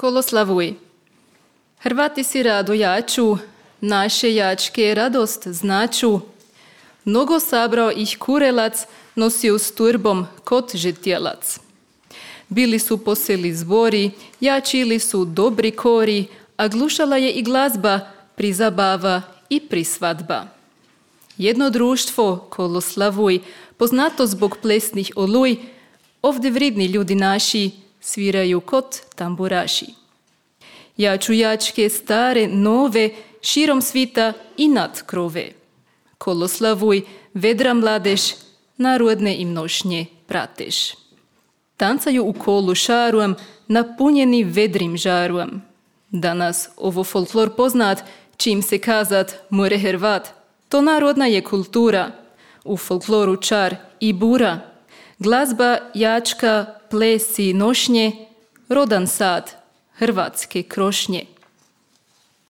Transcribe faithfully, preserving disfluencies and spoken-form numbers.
Koloslavuj. Hrvati si rado jaču, naše jačke radost značu. Mnogo sabrao ih kurelac, nosio s turbom kot žetjelac. Bili su poseli zbori, jačili su dobri kori, a glušala je i glazba, prizabava i prisvadba. Jedno društvo, Koloslavuj, poznato zbog plesnih oluj, ovdje vridni ljudi naši sviraju kot tamburaši. Jaču jačke stare, nove, širom svita i nad krove. Koloslavuj, vedra mladež, narodne im nošnje prateš. Tancaju u kolu šaruam, napunjeni vedrim žaruam. Danas ovo folklor poznat, čim se kazat more Hrvat. To narodna je kultura, u folkloru čar i bura. Glazba, jačka, plesi, nošnje, rodan sad, hrvatske krošnje.